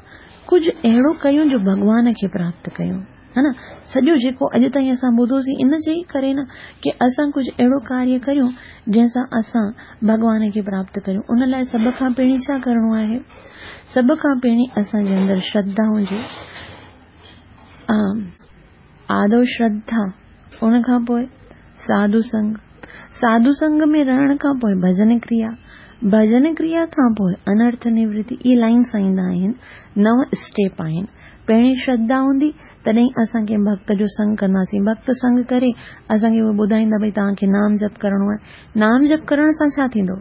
ڪجهه اهڙو ڪيون جو ڀڳوان کي پراپت ڪيون. ها نه سڄو جيڪو اڄ تائين اسان ٻڌوسين ان جي ئي ڪري نه ڪي اسان ڪجهه اهڙو ڪاريه ڪريون جنهن سان اسان ڀڳوان کي پراپت ڪريون ان لاء سڀ کان پهرين ڇا ڪرڻو آهي سڀ کان پهرين اسان جي اندر شرڌا هجي آدو شرڌا ان کان پوء ساڌو سنگ ساڌو سنگ ۾ رهڻ کان پوء ڀڄن ڪريا ڀڄن ڪريا کان پوء انرٿ نورتي اهي لائن سان ايندا آهن نو اسٽيپ آهن پهرين شرڌا هوندي تڏهن اسان ڪنهن ڀڳت جو سنگ ڪنداسين. ڀڳت سنگ ڪري اسان کي اهو ٻڌائيندا ڀئي توهان کي نام جپ ڪرڻو آهي. نام جپ ڪرڻ سان ڇا ٿيندو؟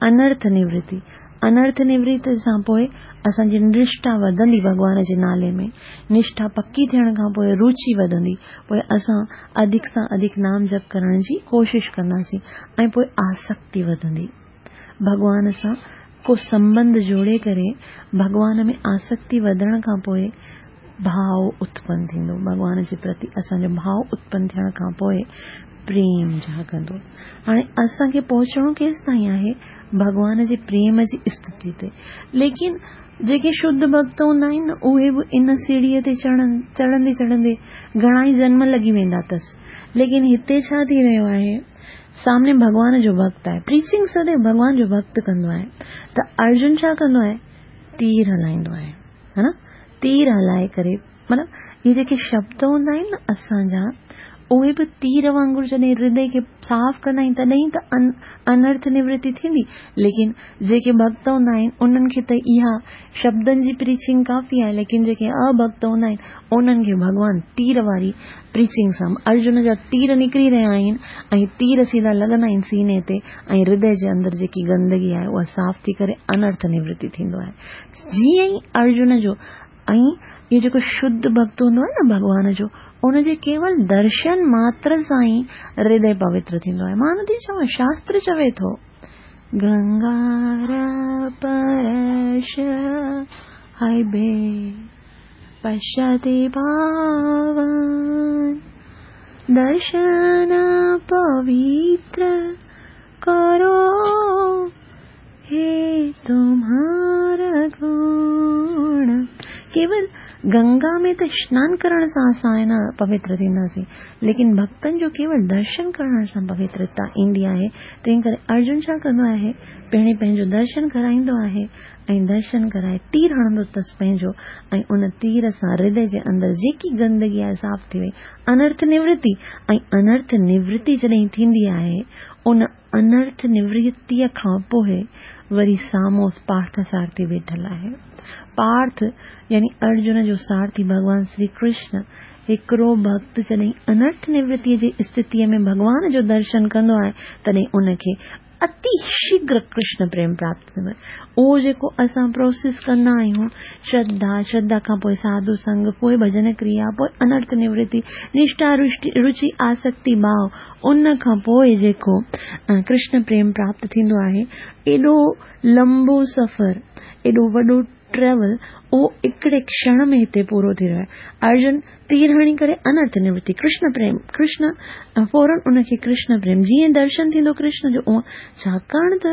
انرٿ نورتي. انرٿ نورتي سان پوء اسان جي نشٺا وڌندي ڀڳوان جي نالي ۾. نشٺا پڪي ٿيڻ کان پوء روچي وڌندي. پوء اسان اڌڪ سان اڌڪ نام جپ ڪرڻ جي ڪوشش ڪنداسين ۽ پوء آسڪتي وڌندي. ڀڳوان سان ڪو سنٻنڌ جوڙي ڪري ڀڳوان ۾ آسڪتي وڌڻ کان پوء ڀاء اتپن ٿيندو. ڀڳوان جي پرتي اسان جو ڀاء اتپن ٿيڻ کان پوء پريم جاڳندو. هاڻي اسان کي پهچڻو ڪيستائين آهي؟ ڀڳوان جي پريم جي استٿي تي. ليڪن جيڪي شڌ ڀڳت هوندا آهن نه اهي به ان سيڙهيء تي چڙهن چڙهندي چڙهندي گهڻا ئي جنم لڳي ويندا اٿس. ليڪن هتي ڇا ٿي رهيو آهي؟ سامني ڀڳوان جو ڀڳت آهي. پريچنگ سديو ڀڳوان جو ڀڳت ڪندو آهي ته ارجن ڇا ڪندو آهي؟ تير هلائيندو آهي. ها نه؟ تير هلائي ڪري معنيٰ اهي جيڪي شبد هوندا آهن نه اسان جا اهي به تير وانگر جڏهن هردي کي صاف ڪندا آهن تڏهن ته انرٿ نورتي ٿيندي ليڪن جيڪي ڀڳت هوندا آهن انهن کي ته اها شبدن جي پريچنگ ڪافي آهي ليڪن جيڪي اڀڳت هوندا آهن انهن کي ڀڳوان تير واري پريچنگ سان ارجن جا تير نڪري رهيا آهن ۽ تير سيڌا لڳندا آهن سيني تي ۽ هردي جي اندر جيڪي گندگي آهي اها صاف ٿي ڪري انرٿ نورتي ٿيندو آهي جيئن ئي ارجن جو ۽ اهو جيڪو شڌ ڀڳت هوندو آهي نه ڀڳوان جو، ان جي ڪيول درشن ماتر سان ئي هردي پوتر ٿيندو آهي. مان نٿي چوان، شاستر چوي ٿو. گنگار پرش هئبي پشتي پاون درشن پوتر ڪرو هي تمهار گڻ. ڪيول گنگا ۾ ته اشنان ڪرڻ سان اسان نه پوتر ٿينداسين، ليڪن ڀڳتن جو ڪيول درشن ڪرڻ سان پوترتا ايندي آهي، تنهن ڪري ارجن ڇا ڪندو آهي، پهرين پنهنجو درشن ڪرائيندو آهي ۽ درشن ڪرائي تير هڻندو اٿس پنهنجو ۽ ان تير سان هردي جي اندر جيڪي گندگي آهي صاف ٿي وئي، انرٿ نورتي ۽ انرٿ نورتي جڏهن ٿيندي آهي ان انرٿ نورتيء کان پوء وري سامهون پارٿ سارٿي ويٺل آهي. پارٿ يعني ارجن جو سارٿي ڀڳوان شري ڪرشن هڪڙو ڀڳت جڏهن انرٿ نورتيء جي استٿيء ۾ ڀڳوان جو درشن ڪندو آهي تڏهن ان کي اتي شيگهر ڪرشن پريم پراپت ٿيندو آهي. اهو جيڪو اسان پروسيس ڪندا آهيون، شرڌا، شرڌا کان پوء ساڌو سنگ، پوء ڀڄن ڪريا، پوء انرٿ نورتي، نشٺا، رچي، آسڪتي، ڀاء، ان کان پوء جيڪو ڪرشن پريم پراپت ٿيندو آهي، ايڏو لمبو سفر، ايڏو وڏو ٽريول، اهو هڪڙي ڪشڻ ۾ هتي پورو ٿي رهيو آهي. ارجن تير هڻي ڪري انرٿ نورتي، ڪرشن پريم، ڪرشن فورن ان کي ڪرشن پريم، جيئن درشن ٿيندو ڪرشن جو اونء، ڇاڪاڻ ته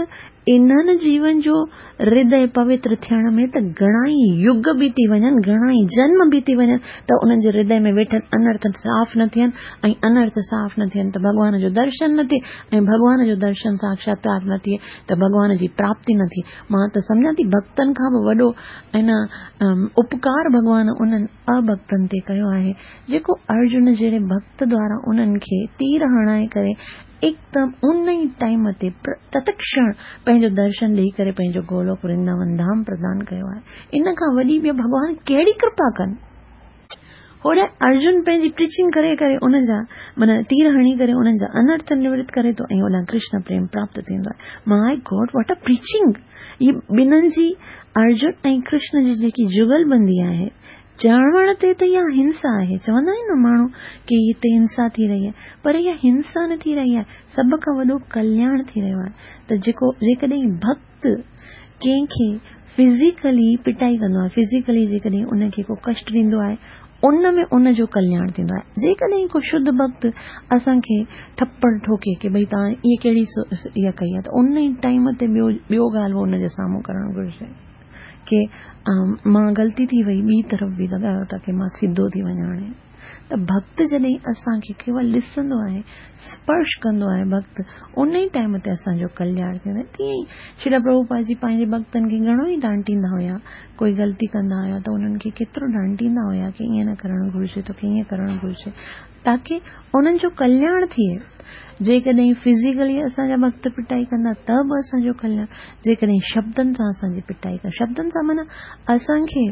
انهن جيون جو هردي پوتر ٿيڻ ۾ ته گهڻا ئي يگ بيتي وڃن، گهڻا ئي جنم بيتي وڃن ته انهن جي هردي ۾ ويٺل انرٿ صاف نه ٿين ۽ انرٿ صاف نه ٿين ته ڀڳوان جو درشن نه ٿئي ۽ ڀڳوان جو درشن ساکشاتڪار نه ٿئي ته ڀڳوان جي پراپتي نه ٿئي. مان ته سمجهان ٿي ڀڳتن کان به وڏو ۽ نه اپڪار ڀڳوان انهن اڀڳتن تي ڪيو آهي جيڪو ارجن جهڙي ڀڳت دوارا انهن کي تير هڻائي ڪري هڪدم ان ئي ٽائيم تي تتڪشڻ پنهنجو درشن ڏيئي ڪري پنهنجو گولوڪ ورنداون ڌام پردان ڪيو آهي. ان کان وڏي ٻيو ڀڳوان ڪهڙي ڪرپا ڪن؟ هوڏانهن ارجن پنهنجي پريچنگ ڪري ڪري ان جا معنيٰ تير هڻي ڪري انهن جا انرٿ نورت ڪري ٿو ۽ هوڏانهن ڪرشن پريم پراپت ٿيندو آهي. ماء گاڊ what a preaching! هي ٻنهن جي ارجن ۽ ڪرشن جي جيڪي جگل بندي آهي چوڻ تي ته اها هنسا آهي، چوندا آهن نه ماڻهو ڪي هتي هنسا ٿي رهي آهي، پر اها هنسا نه ٿي رهي آهي، سڀ کان وڏو ڪلياڻ ٿي رهيو آهي ته جيڪو جيڪڏهن ڀڳت ڪنهن کي فزيڪلي پٽائي ڪندو آهي، فزيڪلي جيڪڏهن ان کي ڪو ڪشٽ ڏيندو آهي، ان ۾ ان جو ڪلياڻ ٿيندو آهي. جيڪڏهن ڪو شڌ ڀڳت اسان کي ٿپڙ ٺوڪي ڪي ڀئي توهان اها ڪهڙي اها ڪئي آهي ته ان ئي ٽائيم تي ٻيو ٻيو ڳالهه به ان جي سامهون ڪرڻ گهرجي. ڪي مان غلطي ٿي وئي ٻي طرف به لڳايو ٿا ڪي مان سڌو ٿي وڃان هاڻي ته ڀڳت جڏهن اسان کي ڪيول ڏسندو آهي سپرش ڪندو آهي ڀڳت ان ئي ٽائيم تي اسان جو ڪلياڻ ٿيندو آهي تيئن ئي شريلا پرڀوپاد جي پنهنجي ڀڳتن کي گهڻو ئي ڊانٽيندا هيا ڪوئي غلطي ڪندا هيا ته انهن کي ڪيترو ڊانٽيندا هيا ڪي ائين نه ڪرڻ گهرجي توکي ائين ڪرڻ گهرجي تاڪي انهن جو ڪلياڻ ٿئي. جيڪڏهن فزيڪلي اسان جا ڀڳت پٽائي ڪندا ته به اسان جو ڪلياڻ، جيڪڏهن شبدن سان اسان جي پٽائي ڪندا، شبدن سان معنيٰ اسان کي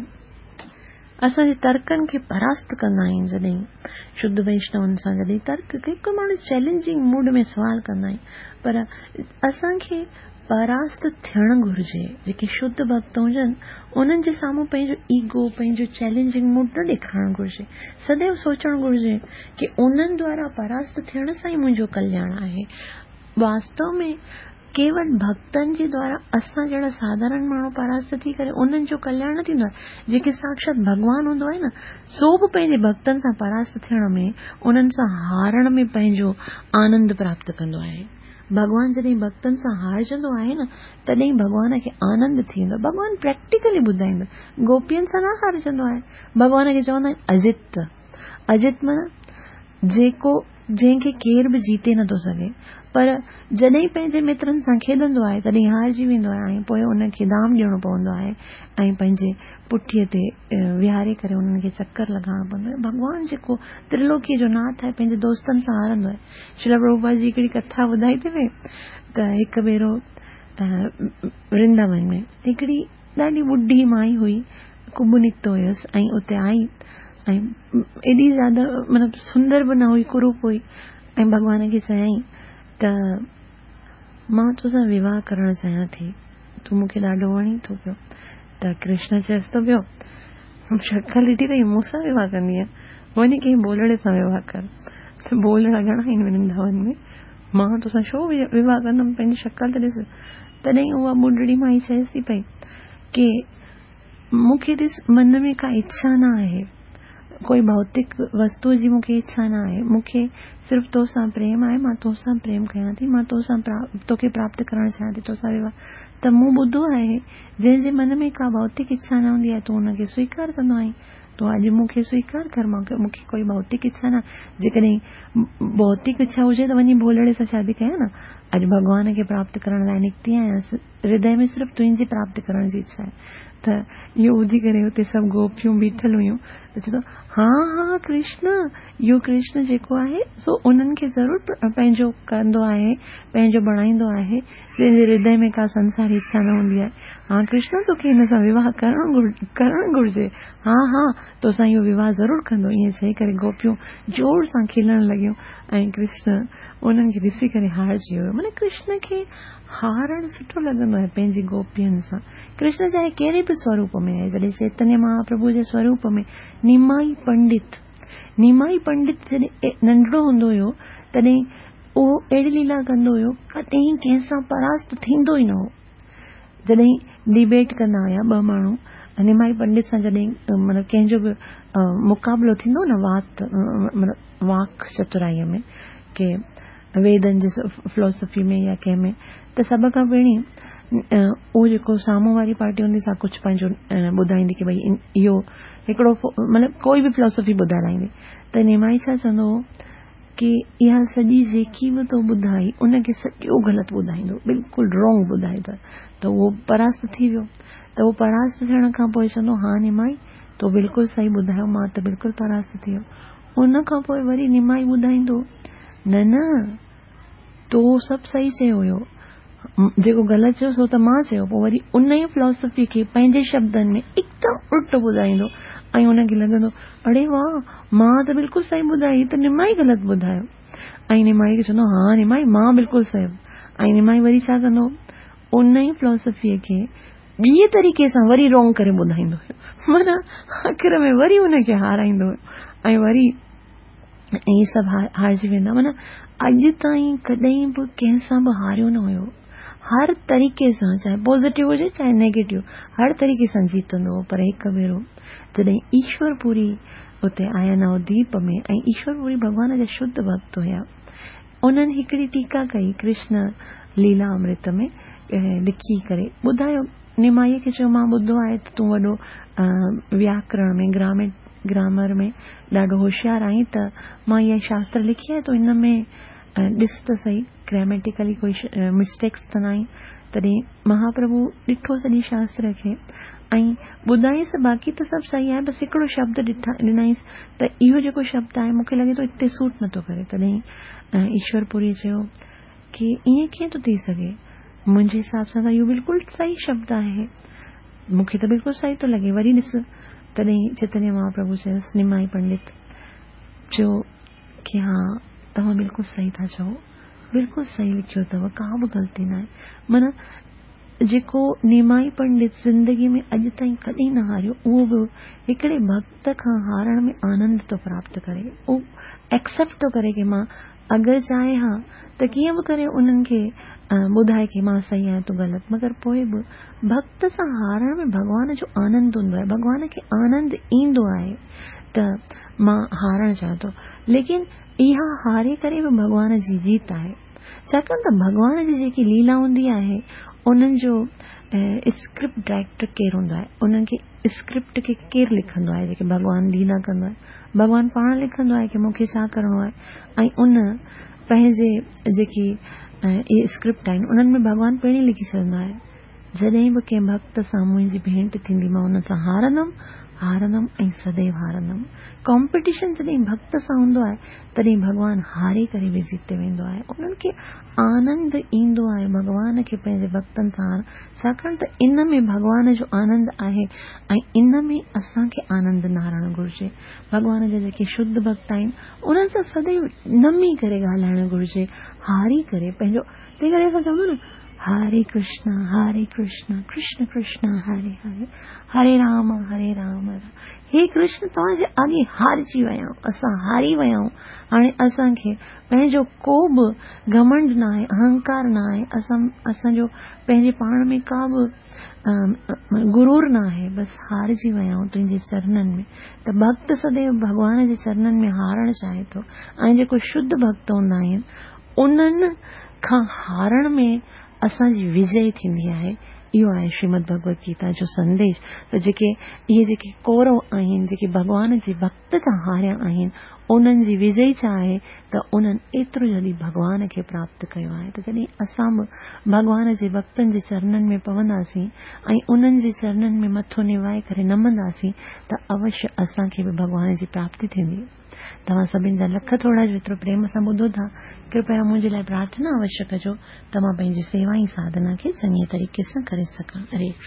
اسان جي ترڪن کي پراست ڪندا آهن، جڏهن شڌ ويشنون سان جڏهن ترڪ ڪي ماڻهو چئلينجنگ موڊ ۾ سوال ڪندا آهن پر اسان کي پراست ٿيڻ گهرجي. جيڪي شڌ ڀڳت هجن، انهن جي سامهون پنهنجو ايگو، پنهنجو چئلينجنگ موڊ نه ڏيکارڻ گهرجي. سديو سوچڻ گهرجي ڪي انهن دوارا پراست ٿيڻ سان ئي منهنجو ڪلياڻ آهي. واستو ۾ ڪيول ڀڳتن جي دوارا اسان جهڙا ساڌارڻ ماڻهو پراست ٿي ڪري انهن جو ڪلياڻ نه ٿيندو آهي. جيڪي ساکشات ڀڳوان هوندو آهي نه، سو به پنهنجي ڀڳتن سان پراست ٿيڻ ۾، انهن سان هارڻ ۾ پنهنجو آنند پراپت ڪندو آهي. ڀڳوان جڏهن ڀڳتن سان هارجندو آهي نه، تڏهن ڀڳوان کي آنند ٿي ويندو آهي. ڀڳوان پريڪٽيڪلي ٻڌائيندو آهي. گوپين سان نه هارجندو آهي. ڀڳوان کي چوندا آهن اجت. اجت معنيٰ جيڪو جنهن کي ڪير به جيتي نٿو سگهي. پر جڏهن پنهنجي مترن سان کيڏندو آهي تڏهن هارجي ويندو آهي ۽ پوء ان کي دام ڏيڻو پوندو آهي ۽ پنهنجي پٺيء تي ويهاري ڪري انهن کي چڪر لڳائڻو پوندو آهي. ڀڳوان جيڪو ترلوڪيء جو ناٿ آهي پنهنجي دوستن سان هارندو آهي. شريلا پرڀوپاد جي هڪڙي ڪٿا ٻڌائي ٿي وئي ته هڪ ڀيرو ورنداون ۾ هڪڙي ڏاڍي ٻڍي مائي هئي، ڪٻ نڪتو هيس ۽ اتي آئي ۽ ايڏي زياده مطلب سندر به نه هئي، ڪروپ هئي ۽ ڀڳوان کي چيائين ته مان تو سان وواهه ڪرڻ چاهيان ٿي، تون مون کي ڏاڍو وڻين ٿو پيو. ته ڪرشن چيس ٿو پيو، شڪل ڏٺي اٿئي، مون سان وواهه ڪندينء؟ وڃي ڪنهن ڀولڙي سان وواهه ڪر. ته ڀولڙا گهڻا آهن ورنداون ۾، مان تو سان ڇو وواهه ڪندم، پنهنجي شڪل ته ڏس. تڏهن اها ٻڍڙي مائي چيس ٿي پئي ڪي مون کي ڏس، من ۾ ڪا اڇا نه آهي، ڪوئي ڀوتڪ وستوء جي مون کي اڇا نه آهي، مون کي صرف تو سان پريم آهي، مان تو سان پريم ڪيان ٿي، مان تو سان توکي پراپت ڪرڻ چاهيان ٿي، تو سان وواهه. ته مون ٻڌو آهي، جنهن جي من ۾ ڪا ڀوتڪ اڇا نه هوندي آهي، تون ان کي سويڪار ڪندو آهين، تون اڄ مون کي سويڪار ڪر، مون کي ڪوئي ڀوتڪ اڇا نه آهي، جيڪڏهن ڀوتڪ اڇا هجي ته وڃي ڀولڙي سان شادي ڪيان نه، اڄ ڀڳوان کي پراپت ڪرڻ لاء نڪتي آهيان، هردي ۾ صرف تنهنجي پراپت ڪرڻ جي اڇا آهي. ته اهو ٻڌي ڪري اتي سڀ گوپيون بيٺل هيون ته چئي ٿو، ها ها ڪرشن، اهو ڪرشن جيڪو آهي سو انهن کي ضرور پنهنجو ڪندو آهي، پنهنجو بڻائيندو آهي، جنهن جي هردي ۾ ڪا سنساري اڇا نه هوندي آهي. ها ڪرشن توکي هن سان وواهه ڪرڻ گهرجي. ها ها توسان اهو وواهه ضرور ڪندو. ائين چئي ڪري گوپيون زور سان کلڻ لڳيون ۽ ڪرشن انهن کي ڏسي ڪري هارجي ويو. معنيٰ ڪرشن کي هارڻ سٺو لڳندو آهي پنهنجي گوپين سان. ڪرشن چاهي ڪهڙي به سوروپ ۾ آهي، جڏهن چيتنيه مهاپرڀو جي سوروپ ۾ نيمائي پنڊت، نيمائي پنڊت جڏهن ننڍڙو هوندو هيو تڏهن اهو اهڙي ليلا ڪندو هيو، ڪڏهن ڪنهن سان پراست ٿيندو ئي نه هو. جڏهن ڊبيٽ ڪندا هيا ٻه ماڻهو، نيمائي پنڊت سان جڏهن مطلب ڪنهن جو به مقابلو ٿيندو هو نه وات مطلب واڪ چترائيء ۾ ڪي ويدن جي فلاسافي ۾ يا ڪنهن ۾ ته سڀ کان پهرين اهو جيڪو سامهون واري پارٽي هوندي سا ڪجهه پنهنجو ٻڌائيندي ڪي ڀئي اهو هڪڙو مطلب ڪوئي به فلاسافي ٻڌائي لائيندي ته نيمائي ڇا چوندو هو ڪي اها سڄي جيڪي به تو ٻڌائي ان کي سڄو غلط ٻڌائيندو بلڪل رانگ ٻڌائي ته اهو پراست ٿي ويو ته اهو پراست ٿيڻ کان پوء چوندو ها نيمائي تو بلڪل صحيح ٻڌايو مان ته بلڪل پراست ٿي ويو ان کان پوء وري نمائي ٻڌائيندو، نه نه، تو سڀ صحيح چيو هيو، جيڪو غلط چيو سو ته مان چيو. پوء وري ان ئي فلاسافي کي پنهنجي شبدن ۾ هڪدم الٽو ٻڌائيندو ۽ ان کي لڳندو، اڙي واهه، مان ته بلڪل صحيح ٻڌائي، هي ته نمائي غلط ٻڌايو. ۽ نمائي کي چوندو، ها نمائي، مان بلڪل صحيح. ۽ نمائي وري ڇا ڪندو، ان ئي فلاسافيء کي ٻئي طريقي سان وري رونگ ڪري ٻڌائيندو هيو. معنيٰ آخر ۾ وري ان کي هارائيندو هيو ۽ وري ائين سڀ هارجي ويندا. معنيٰ اڄ تائين ڪڏهن به ڪنهن سان به هاريو نه هيو. هر طريقي سان چاهي پازيٽو هجي چاهي نيگيٽو هر طريقي سان جيتندو هو. پر هڪ ڀيرو جڏهن ايشور پوري اتي آيا نوديپ ۾ ۽ ايشور پوري ڀڳوان جا شڌ ڀڳت هيا. انهن هڪڙي ٽيڪا ڪئي ڪرشن ليلا امرت ۾ لکي ڪري ٻڌايو نمائيء کي چيو مان ٻڌو آهي ته تون وڏو وياڪرڻ ۾ گرامر ۾ ڏاڍو هوشيار آهين ته مان اها شاستر لکي آهي تون ان ۾ ڏس ته سهي گراميٽيڪلي ڪوئي مسٽيڪس ته ناهن تڏهن مهاپرڀو ڏٺو سڄي شاستر کي ۽ ٻڌائينس ته باقي ته سڀ صحيح آهي بس هڪڙو شبد ڏنائينس ته اهو جيڪو شبد آهي مون کي لڳي ٿو هتي سوٽ نٿو ڪري. تڏهن ايشور پوريء چيو ڪي ائين ڪيئن ٿو ٿي سگهي؟ منهنجي حساب سان ته اهو بلڪل صحيح شبد آهي. مون کي ته بلڪل صحيح ٿو لڳي. وري ڏس. تڏهن چيتنيه مهاپرڀو چيس، نمائي پنڊت چيو ڪي ها توهان بلڪل صحيح ٿا چئو. بلڪل صحيح لکيو اٿو، ڪا به غلطي ناهي. معنيٰ جيڪو نيمائي پنڊت زندگيء ۾ اڄ تائين ڪڏهن نه هاريو، اهو به هڪڙي ڀڳت کان هارڻ ۾ آنند ٿو پراپت ڪري. اهو ايڪسيپٽ ٿو ڪري ڪي مان اگر چاهي ها ته ڪيئن به ڪري انهن کي ٻڌائي ڪي مان صحيح آهيان تون غلط، مگر پوء به ڀڳت سان هارڻ ۾ ڀڳوان جو آنند هوندو آهي، ڀڳوان کي آنند ايندو آهي ته مان هارڻ چاهيان ٿو. ليڪن اها هاري ڪري به ڀڳوان جي جيت آهي. ڇاڪاڻ ته ڀڳوان جي جيڪي ليلا هوندي آهي، انهن جو اسڪرپٽ ڊائريڪٽر ڪير هوندو آهي؟ انهن کي اسڪرپٽ کي ڪير لکندو آهي؟ جيڪي ڀڳوان ليلا ڪندو آهي، ڀڳوان پاڻ لکندو آهي ڪي مون کي ڇا ڪرڻو آهي ۽ ان پنهنجي جيڪي اهي اسڪرپٽ آهن، انهن ۾ ڀڳوان پڻ ئي لکي ڇڏندو آهي. جڏهن به ڪنهن ڀڳت سان منهنجي ڀينٽ ٿيندي، مان ان سان هارندم، هارندم ۽ سديو هارندم. ڪامپيٽيشن جڏهن ڀڳت سان هوندو آهي، تڏهن ڀڳوان هاري ڪري به جيتي ويندو آهي. انهن کي آنند ايندو آهي ڀڳوان کي پنهنجي ڀڳتن سان هارڻ، ڇاڪاڻ ته ان ۾ ڀڳوان جو آنند آهي ۽ ان ۾ اسان کي آنند نه هارڻ گهرجي. ڀڳوان جا جيڪي شڌ ڀڳت آهن، انهن سان سديو نمي ڪري ڳالهائڻ گهرجي، هاري ڪري پنهنجو، تنهن ڪري اسان چوندا آهيون نه، هاري ڪرشنا هاري ڪرشنا ڪرشن ڪرشنا هاري هاري هري رام هري رام رام هي ڪرشن توهان جي اڳي هارجي ويا آهيون، اسان هاري ويا آهيون، هاڻي اسان کي پنهنجو ڪو به گهمنڊ نه آهي، اهنڪار نه آهي، اسان جو پنهنجي پاڻ ۾ ڪا به غرور نه آهي، بس هارجي ويا آهيون تنهنجي چرنن ۾. ته ڀڳت سديو ڀڳوان جي چرنن ۾ هارڻ چاهي ٿو ۽ جيڪو شڌ ڀڳت هوندا آهن انهن کان هارڻ ۾ اسان جي وجئي ٿيندي آهي. اهو آهي شريمد ڀڳوت گيتا جو سنديش ته جيڪي اهي جيڪي ڪورو آهن، جيڪي ڀڳوان جي ڀڳت کان هاريا آهن، انهن جي وجئي ڇا آهي ته انهن ايترو جلدي ڀڳوان کي پراپت ڪيو آهي ته جڏهن اسان به ڀڳوان جي ڀڳتن جي چرنن ۾ پونداسين ۽ انهن جي چرنن ۾ مٿو نوائي ڪري نمنداسين ته اوشيه اسان کي به ڀڳوان جي پراپتي ٿيندي. توهان سڀن جا لک ٿورا جو ايترو پريم سان ٻڌو ٿا. ڪرپيا منهنجي لاء پرارٿنا اوشيه ڪجو ته مان پنهنجي سيوا ۽ ساڌنا کي چڱي طريقي سان ڪري سگهان. هري ڪرشن.